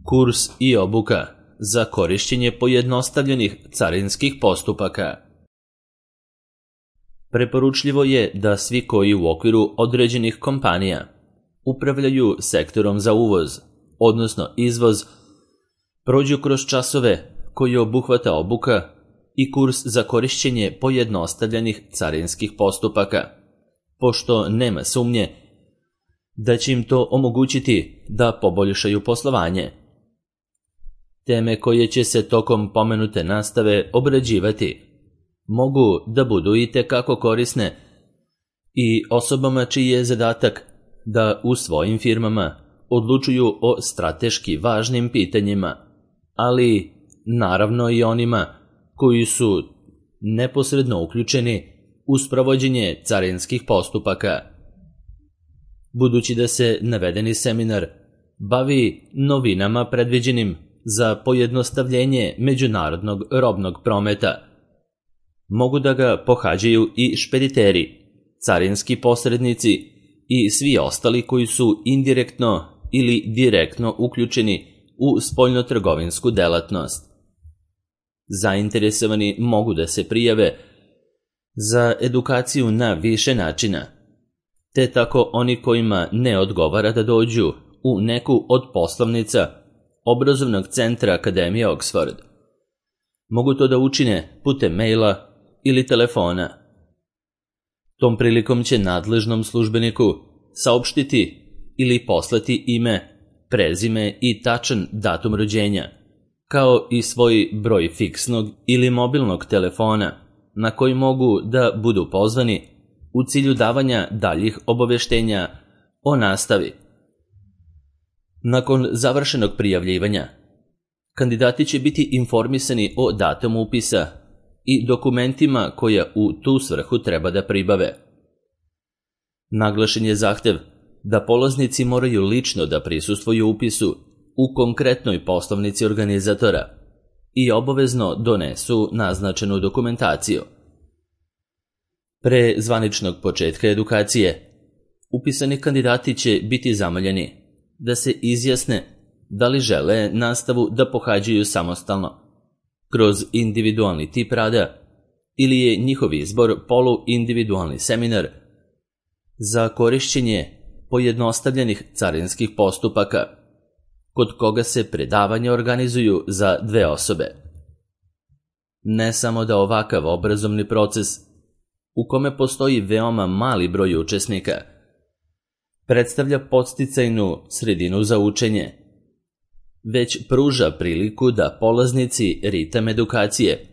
Kurs i obuka za korišćenje pojednostavljenih carinskih postupaka. Preporučljivo je da svi koji u okviru određenih kompanija upravljaju sektorom za uvoz, odnosno izvoz, prođu kroz časove koji obuhvata obuka i kurs za korišćenje pojednostavljenih carinskih postupaka, pošto nema sumnje da će im to omogućiti da poboljšaju poslovanje. Teme koje će se tokom pomenute nastave obrađivati mogu da budu itekako korisne i osobama čiji je zadatak da u svojim firmama odlučuju o strateški važnim pitanjima, ali naravno i onima koji su neposredno uključeni u sprovođenje carinskih postupaka. Budući da se navedeni seminar bavi novinama predviđenim za pojednostavljenje međunarodnog robnog prometa, mogu da ga pohađaju i špediteri, carinski posrednici i svi ostali koji su indirektno ili direktno uključeni u spoljnotrgovinsku delatnost. Zainteresovani mogu da se prijave za edukaciju na više načina, te tako oni kojima ne odgovara da dođu u neku od poslovnica obrazovnog centra Akademije Oxford, mogu to da učine putem maila ili telefona. Tom prilikom će nadležnom službeniku saopštiti ili poslati ime, prezime i tačan datum rođenja, kao i svoj broj fiksnog ili mobilnog telefona na koji mogu da budu pozvani u cilju davanja daljih obaveštenja o nastavi. Nakon završenog prijavljivanja, kandidati će biti informisani o datumu upisa i dokumentima koja u tu svrhu treba da pribave. Naglašen je zahtev da polaznici moraju lično da prisustvuju upisu u konkretnoj poslovnici organizatora i obavezno donesu naznačenu dokumentaciju. Pre zvaničnog početka edukacije, upisani kandidati će biti zamoljeni da se izjasne da li žele nastavu da pohađaju samostalno, kroz individualni tip rada, ili je njihov izbor poluindividualni seminar za korišćenje pojednostavljenih carinskih postupaka, kod koga se predavanja organizuju za 2 osobe. Ne samo da ovakav obrazovni proces, u kome postoji veoma mali broj učesnika, predstavlja podsticajnu sredinu za učenje, već pruža priliku da polaznici ritam edukacije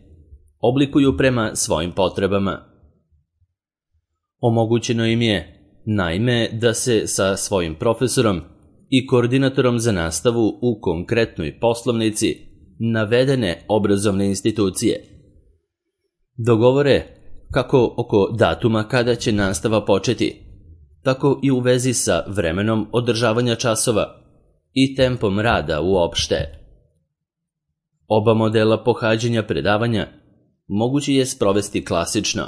oblikuju prema svojim potrebama. Omogućeno im je, naime, da se sa svojim profesorom i koordinatorom za nastavu u konkretnoj poslovnici navedene obrazovne institucije dogovore kako oko datuma kada će nastava početi, tako i u vezi sa vremenom održavanja časova i tempom rada uopšte. Oba modela pohađanja predavanja moguće je sprovesti klasično,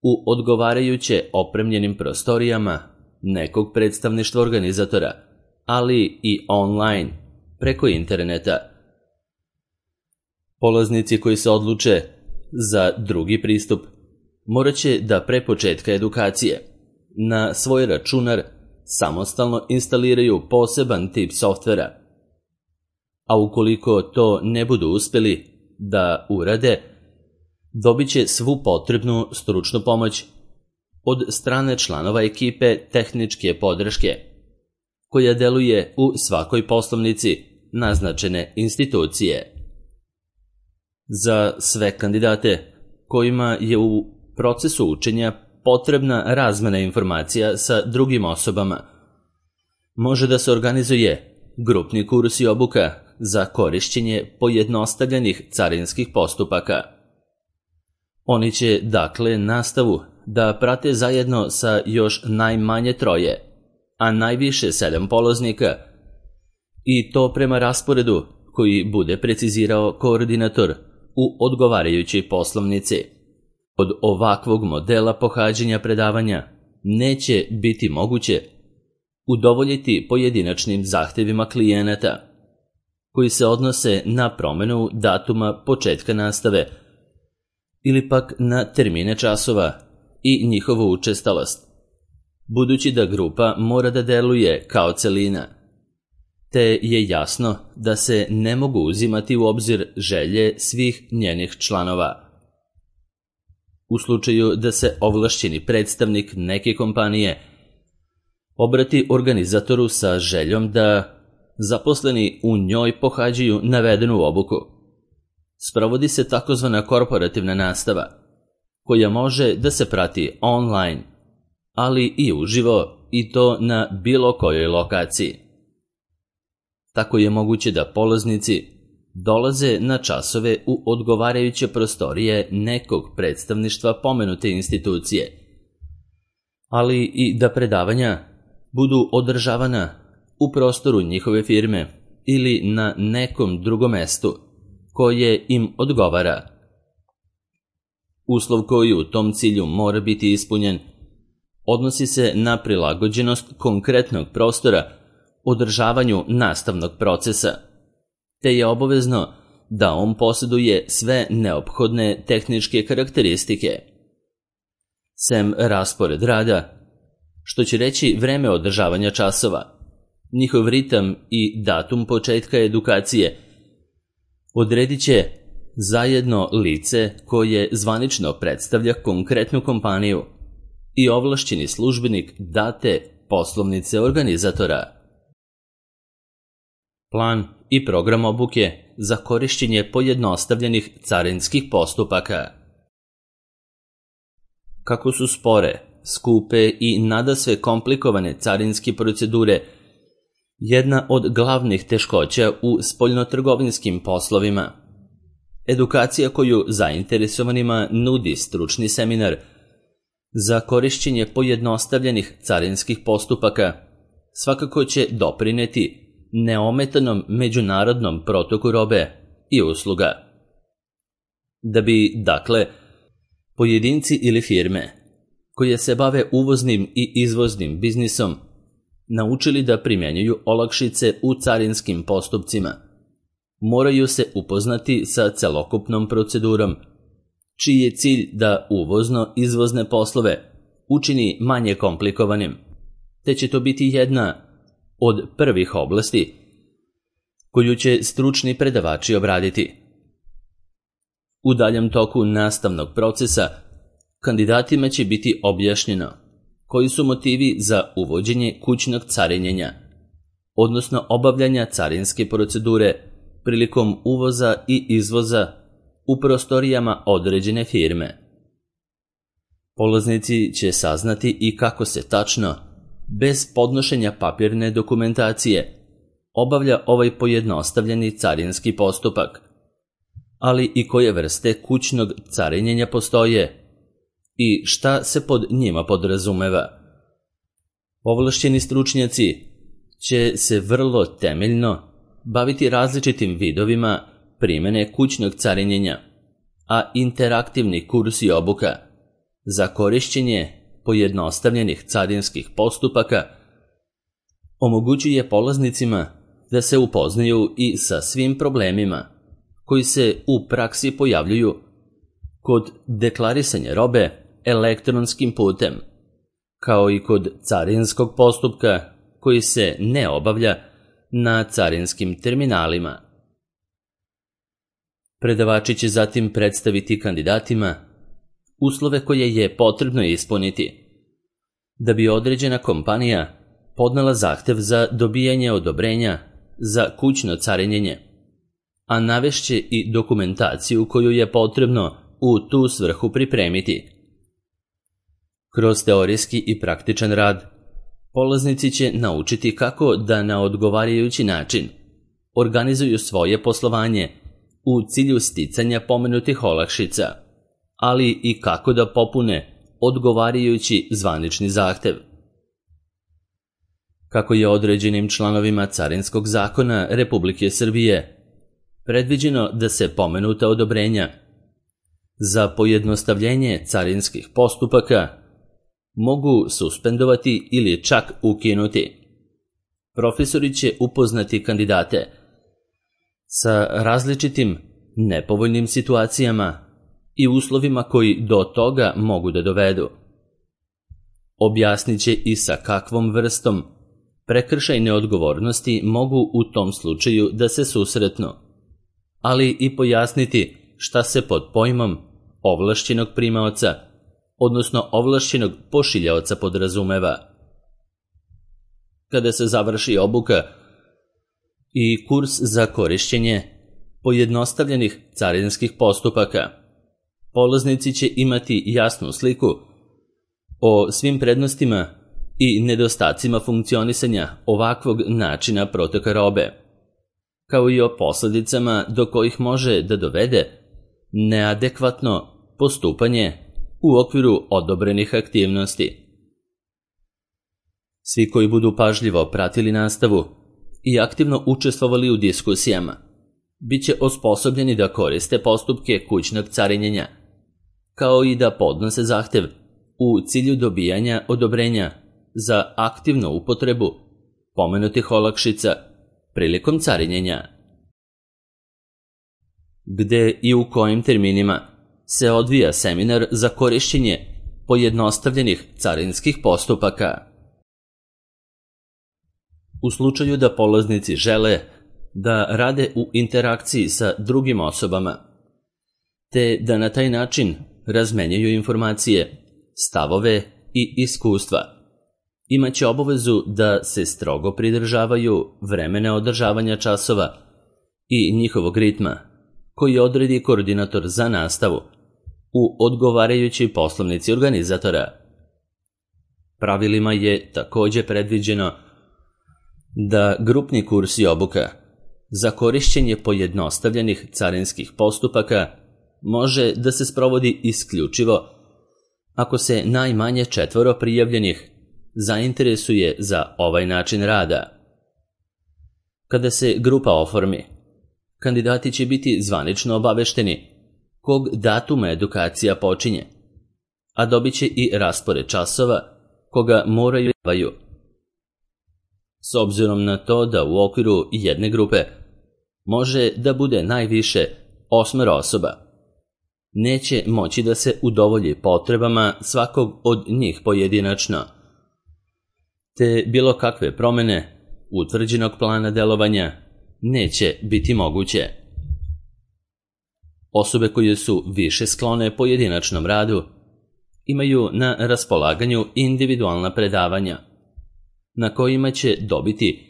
u odgovarajuće opremljenim prostorijama nekog predstavništva organizatora, ali i online, preko interneta. Polaznici koji se odluče za drugi pristup morat će da pre početka edukacije na svoj računar samostalno instaliraju poseban tip softvera, a ukoliko to ne budu uspeli da urade, dobit će svu potrebnu stručnu pomoć od strane članova ekipe tehničke podrške, koja deluje u svakoj poslovnici naznačene institucije. Za sve kandidate kojima je u procesu učenja potrebna razmena informacija sa drugim osobama, može da se organizuje grupni kurs i obuka za korišćenje pojednostavljenih carinskih postupaka. Oni će, dakle, nastavu da prate zajedno sa još najmanje 3, a najviše 7 polaznika, i to prema rasporedu koji bude precizirao koordinator u odgovarajućoj poslovnici. Od ovakvog modela pohađanja predavanja neće biti moguće udovoljiti pojedinačnim zahtevima klijenata. koji se odnose na promjenu datuma početka nastave ili pak na termine časova i njihovu učestalost, budući da grupa mora da deluje kao celina, te je jasno da se ne mogu uzimati u obzir želje svih njenih članova. U slučaju da se ovlašćeni predstavnik neke kompanije obrati organizatoru sa željom da zaposleni u njoj pohađaju navedenu obuku, sprovodi se takozvana korporativna nastava, koja može da se prati online, ali i uživo, i to na bilo kojoj lokaciji. Tako je moguće da polaznici dolaze na časove u odgovarajuće prostorije nekog predstavništva pomenute institucije, ali i da predavanja budu održavana u prostoru njihove firme ili na nekom drugom mestu koje im odgovara. Uslov koji u tom cilju mora biti ispunjen odnosi se na prilagođenost konkretnog prostora održavanju nastavnog procesa, te je obavezno da on posjeduje sve neophodne tehničke karakteristike. Sem raspored rada, što će reći vreme održavanja časova, njihov ritam i datum početka edukacije, odredit će zajedno lice koje zvanično predstavlja konkretnu kompaniju i ovlašćeni službenik date poslovnice organizatora. Plan i program obuke za korišćenje pojednostavljenih carinskih postupaka. Kako su spore, skupe i nadasve komplikovane carinske procedure jedna od glavnih teškoća u spoljnotrgovinskim poslovima, edukacija koju zainteresovanima nudi stručni seminar za korišćenje pojednostavljenih carinskih postupaka svakako će doprineti neometanom međunarodnom protoku robe i usluga. Da bi, dakle, pojedinci ili firme koje se bave uvoznim i izvoznim biznisom naučili da primjenjuju olakšice u carinskim postupcima, moraju se upoznati sa celokupnom procedurom, čiji je cilj da uvozno-izvozne poslove učini manje komplikovanim, te će to biti jedna od prvih oblasti koju će stručni predavači obraditi. U daljem toku nastavnog procesa kandidatima će biti objašnjeno koji su motivi za uvođenje kućnog carinjenja, odnosno obavljanja carinske procedure prilikom uvoza i izvoza u prostorijama određene firme. Polaznici će saznati i kako se tačno, bez podnošenja papirne dokumentacije, obavlja ovaj pojednostavljeni carinski postupak, ali i koje vrste kućnog carinjenja postoje i šta se pod njima podrazumeva. Ovlašćeni stručnjaci će se vrlo temeljno baviti različitim vidovima primjene kućnog carinjenja, a interaktivni kurs i obuka za korišćenje pojednostavljenih carinskih postupaka omogućuje polaznicima da se upoznaju i sa svim problemima koji se u praksi pojavljuju kod deklarisanja robe elektronskim putem, kao i kod carinskog postupka koji se ne obavlja na carinskim terminalima. Predavači će zatim predstaviti kandidatima uslove koje je potrebno ispuniti da bi određena kompanija podnela zahtev za dobijanje odobrenja za kućno carinjenje, a navešće i dokumentaciju koju je potrebno u tu svrhu pripremiti. Kroz teorijski i praktičan rad, polaznici će naučiti kako da na odgovarajući način organizuju svoje poslovanje u cilju sticanja pomenutih olakšica, ali i kako da popune odgovarajući zvanični zahtev. Kako je određenim članovima Carinskog zakona Republike Srbije predviđeno da se pomenuta odobrenja za pojednostavljenje carinskih postupaka mogu suspendovati ili čak ukinuti, profesori će upoznati kandidate sa različitim nepovoljnim situacijama i uslovima koji do toga mogu da dovedu. Objasnit će i sa kakvom vrstom prekršajne odgovornosti mogu u tom slučaju da se susretnu, ali i pojasniti šta se pod pojmom ovlašćenog primaoca, odnosno ovlašćenog pošiljaoca podrazumeva. Kada se završi obuka i kurs za korišćenje pojednostavljenih carinskih postupaka, polaznici će imati jasnu sliku o svim prednostima i nedostacima funkcionisanja ovakvog načina protoka robe, kao i o posledicama do kojih može da dovede neadekvatno postupanje u okviru odobrenih aktivnosti. Svi koji budu pažljivo pratili nastavu i aktivno učestvovali u diskusijama, bit će osposobljeni da koriste postupke kućnog carinjenja, kao i da podnose zahtev u cilju dobijanja odobrenja za aktivnu upotrebu pomenutih olakšica prilikom carinjenja. Gde i u kojim terminima se odvija seminar za korišćenje pojednostavljenih carinskih postupaka? U slučaju da polaznici žele da rade u interakciji sa drugim osobama, te da na taj način razmenjuju informacije, stavove i iskustva, imaće obavezu da se strogo pridržavaju vremena održavanja časova i njihovog ritma, koji odredi koordinator za nastavu u odgovarajućoj poslovnici organizatora. Pravilima je takođe predviđeno da grupni kurs i obuka za korišćenje pojednostavljenih carinskih postupaka može da se sprovodi isključivo ako se najmanje 4 prijavljenih zainteresuje za ovaj način rada. Kada se grupa oformi, kandidati će biti zvanično obavešteni kog datuma edukacija počinje, a dobit će i raspored časova koga moraju davaju. S obzirom na to da u okviru jedne grupe može da bude najviše 8 osoba, neće moći da se udovolji potrebama svakog od njih pojedinačno, te bilo kakve promene utvrđenog plana delovanja neće biti moguće. Osobe koje su više sklone pojedinačnom radu imaju na raspolaganju individualna predavanja, na kojima će dobiti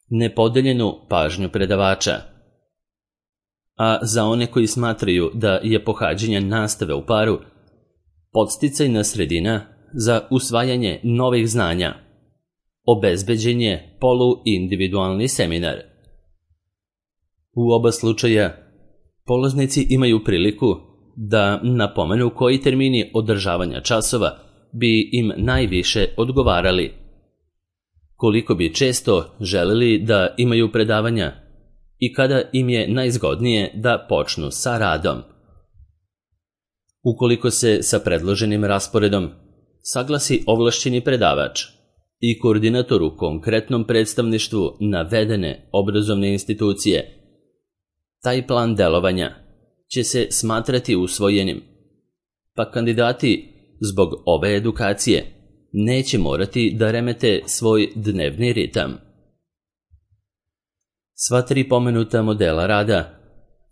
nepodeljenu pažnju predavača. A za one koji smatraju da je pohađanje nastave u paru podsticajna sredina za usvajanje novih znanja, obezbeđen je poluindividualni seminar. U oba slučaja polaznici imaju priliku da napomenu koji termini održavanja časova bi im najviše odgovarali, koliko bi često želeli da imaju predavanja i kada im je najzgodnije da počnu sa radom. Ukoliko se sa predloženim rasporedom saglasi ovlašćeni predavač i koordinator u konkretnom predstavništvu navedene obrazovne institucije, taj plan delovanja će se smatrati usvojenim, pa kandidati zbog ove edukacije neće morati da remete svoj dnevni ritam. Sva 3 pomenuta modela rada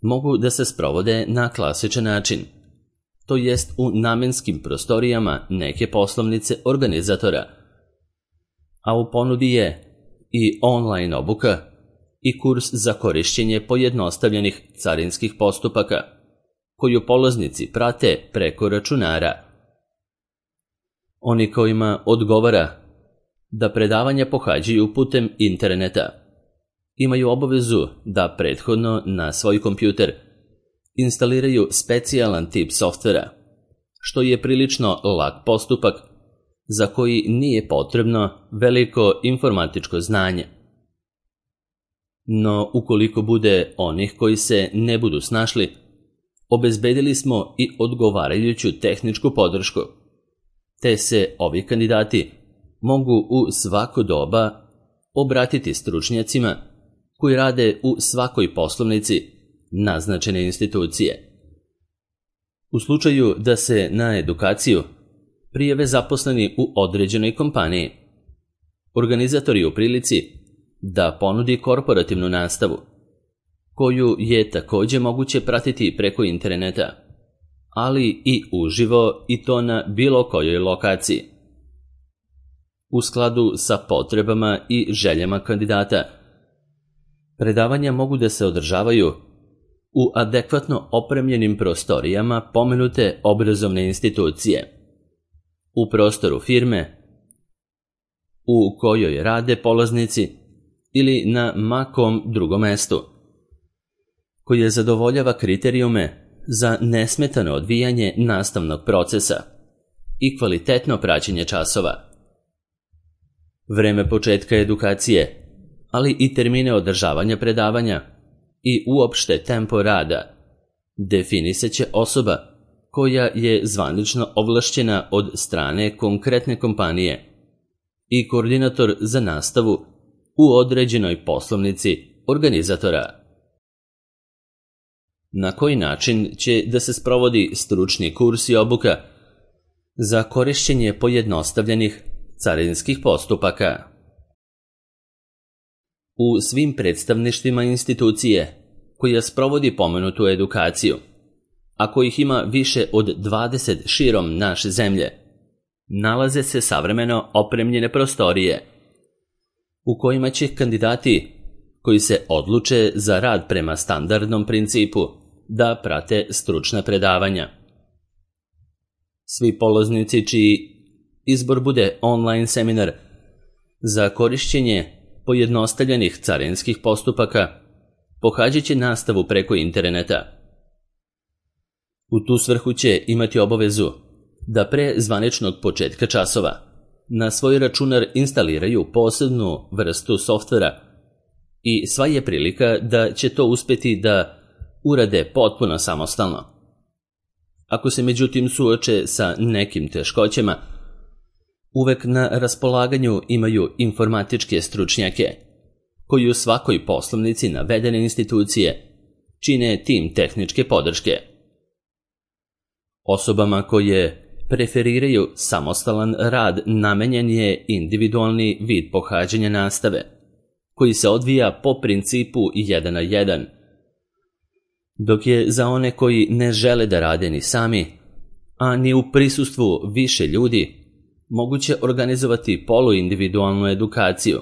mogu da se sprovode na klasičan način, to jest u namenskim prostorijama neke poslovnice organizatora, a u ponudi je i online obuka i kurs za korišćenje pojednostavljenih carinskih postupaka, koju polaznici prate preko računara. Oni kojima odgovara da predavanja pohađaju putem interneta imaju obavezu da prethodno na svoj kompjuter instaliraju specijalan tip softvera, što je prilično lak postupak za koji nije potrebno veliko informatičko znanje. No, ukoliko bude onih koji se ne budu snašli, obezbedili smo i odgovarajuću tehničku podršku, te se ovi kandidati mogu u svako doba obratiti stručnjacima koji rade u svakoj poslovnici naznačene institucije. U slučaju da se na edukaciju prijave zaposleni u određenoj kompaniji, organizator je u prilici da ponudi korporativnu nastavu, koju je također moguće pratiti preko interneta, ali i uživo i to na bilo kojoj lokaciji. U skladu sa potrebama i željama kandidata, predavanja mogu da se održavaju u adekvatno opremljenim prostorijama pomenute obrazovne institucije, u prostoru firme u kojoj rade polaznici ili na makom drugom mestu, koje zadovoljava kriterijume za nesmetano odvijanje nastavnog procesa i kvalitetno praćenje časova. Vreme početka edukacije, ali i termine održavanja predavanja i uopšte tempo rada definisaće osoba koja je zvanično ovlašćena od strane konkretne kompanije i koordinator za nastavu u određenoj poslovnici organizatora. Na koji način će da se sprovodi stručni kurs i obuka za korišćenje pojednostavljenih carinskih postupaka? U svim predstavništvima institucije koja sprovodi pomenutu edukaciju, a kojih ima više od 20 širom naše zemlje, nalaze se savremeno opremljene prostorije u kojima će kandidati koji se odluče za rad prema standardnom principu da prate stručna predavanja. Svi polaznici čiji izbor bude online seminar za korišćenje pojednostavljenih carinskih postupaka pohađat će nastavu preko interneta. U tu svrhu će imati obavezu da pre zvaničnog početka časova na svoj računar instaliraju posebnu vrstu softvera i sva je prilika da će to uspeti da urade potpuno samostalno. Ako se međutim suoče sa nekim teškoćama, uvek na raspolaganju imaju informatičke stručnjake, koji u svakoj poslovnici navedene institucije čine tim tehničke podrške. Osobama koje preferiraju samostalan rad namenjen je individualni vid pohađanja nastave, koji se odvija po principu 1 na 1, dok je za one koji ne žele da rade ni sami, a ni u prisustvu više ljudi, moguće organizovati poluindividualnu edukaciju,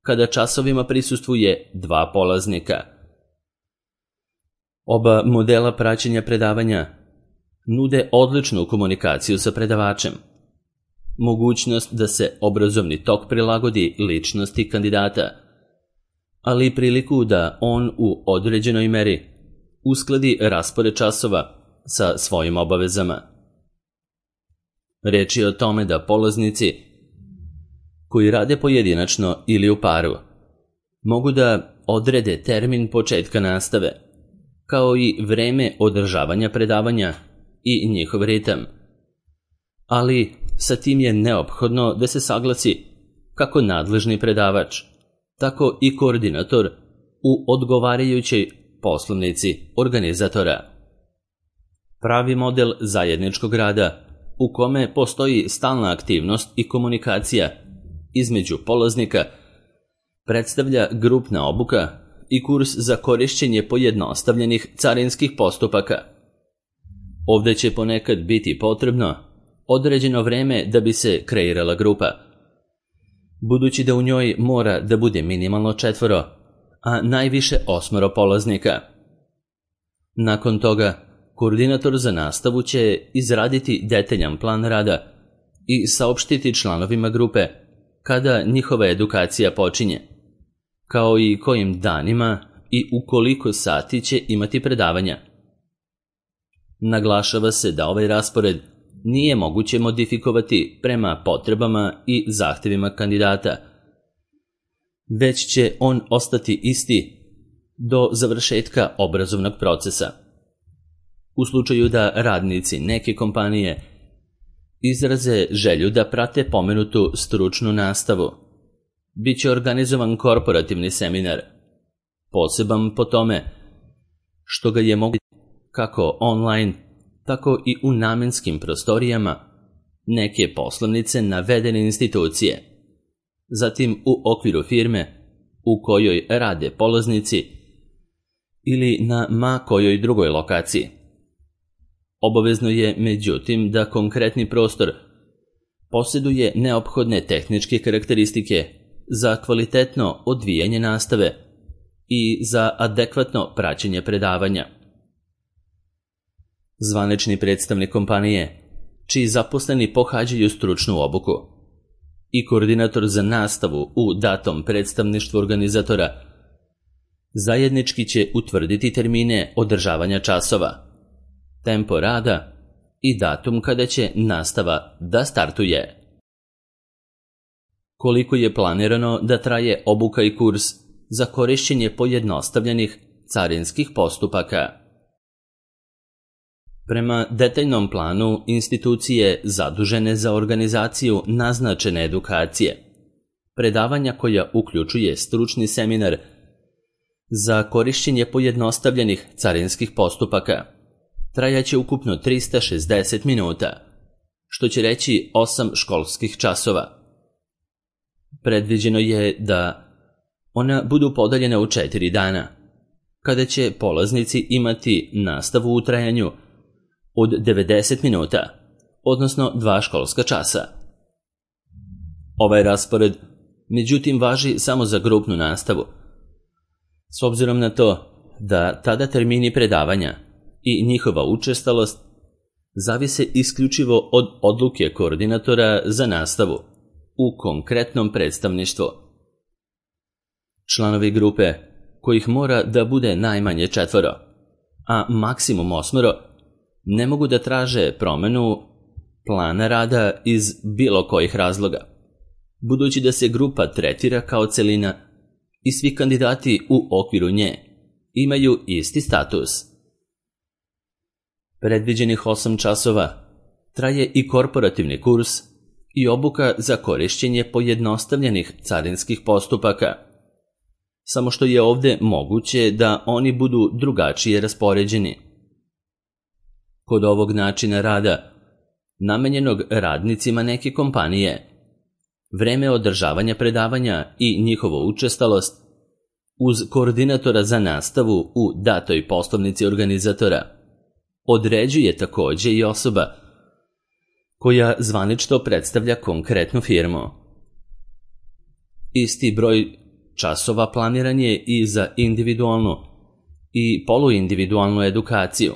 kada časovima prisustvuje 2 polaznika. Oba modela praćenja predavanja nude odličnu komunikaciju sa predavačem, mogućnost da se obrazovni tok prilagodi ličnosti kandidata, ali i priliku da on u određenoj meri uskladi raspored časova sa svojim obavezama. Reč je o tome da polaznici koji rade pojedinačno ili u paru mogu da odrede termin početka nastave, kao i vreme održavanja predavanja i njihov ritam. Ali sa tim je neophodno da se saglasi kako nadležni predavač, tako i koordinator u odgovarajućoj poslovnici organizatora. Pravi model zajedničkog rada u kome postoji stalna aktivnost i komunikacija između polaznika predstavlja grupna obuka i kurs za korišćenje pojednostavljenih carinskih postupaka. Ovdje će ponekad biti potrebno određeno vreme da bi se kreirala grupa, budući da u njoj mora da bude minimalno 4, a najviše 8 polaznika. Nakon toga, koordinator za nastavu će izraditi detaljan plan rada i saopštiti članovima grupe kada njihova edukacija počinje, kao i kojim danima i u koliko sati će imati predavanja. Naglašava se da ovaj raspored nije moguće modifikovati prema potrebama i zahtjevima kandidata, već će on ostati isti do završetka obrazovnog procesa. U slučaju da radnici neke kompanije izraze želju da prate pomenutu stručnu nastavu, bit će organizovan korporativni seminar poseban po tome što ga je moguće kako online, tako i u namenskim prostorijama neke poslovnice navedene institucije, zatim u okviru firme u kojoj rade polaznici ili na ma kojoj drugoj lokaciji. Obavezno je, međutim, da konkretni prostor posjeduje neophodne tehničke karakteristike za kvalitetno odvijanje nastave i za adekvatno praćenje predavanja. Zvanični predstavnik kompanije, čiji zaposleni pohađaju stručnu obuku, i koordinator za nastavu u datom predstavništvu organizatora zajednički će utvrditi termine održavanja časova, tempo rada i datum kada će nastava da startuje. Koliko je planirano da traje obuka i kurs za korišćenje pojednostavljenih carinskih postupaka? Prema detaljnom planu institucije zadužene za organizaciju naznačene edukacije, predavanja koja uključuje stručni seminar za korišćenje pojednostavljenih carinskih postupaka, trajaće ukupno 360 minuta, što će reći 8 školskih časova. Predviđeno je da ona budu podeljena u 4 dana, kada će polaznici imati nastavu u trajanju od 90 minuta, odnosno 2 školska časa. Ovaj raspored, međutim, važi samo za grupnu nastavu, s obzirom na to da tada termini predavanja i njihova učestalost zavise isključivo od odluke koordinatora za nastavu u konkretnom predstavništvu. Članovi grupe, kojih mora da bude najmanje 4, a maksimum 8, ne mogu da traže promenu plana rada iz bilo kojih razloga, budući da se grupa tretira kao celina i svi kandidati u okviru nje imaju isti status. Predviđenih 8 časova traje i korporativni kurs i obuka za korišćenje pojednostavljenih carinskih postupaka, samo što je ovdje moguće da oni budu drugačije raspoređeni. Kod ovog načina rada, namenjenog radnicima neke kompanije, vreme održavanja predavanja i njihovu učestalost uz koordinatora za nastavu u datoj poslovnici organizatora određuje također i osoba koja zvanično predstavlja konkretnu firmu. Isti broj časova planiran je i za individualnu i poluindividualnu edukaciju,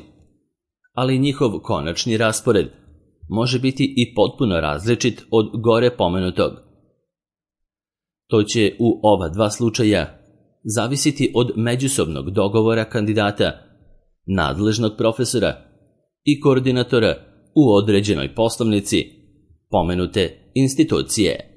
ali njihov konačni raspored može biti i potpuno različit od gore pomenutog. To će u ova 2 slučaja zavisiti od međusobnog dogovora kandidata, nadležnog profesora i koordinatora u određenoj poslovnici pomenute institucije.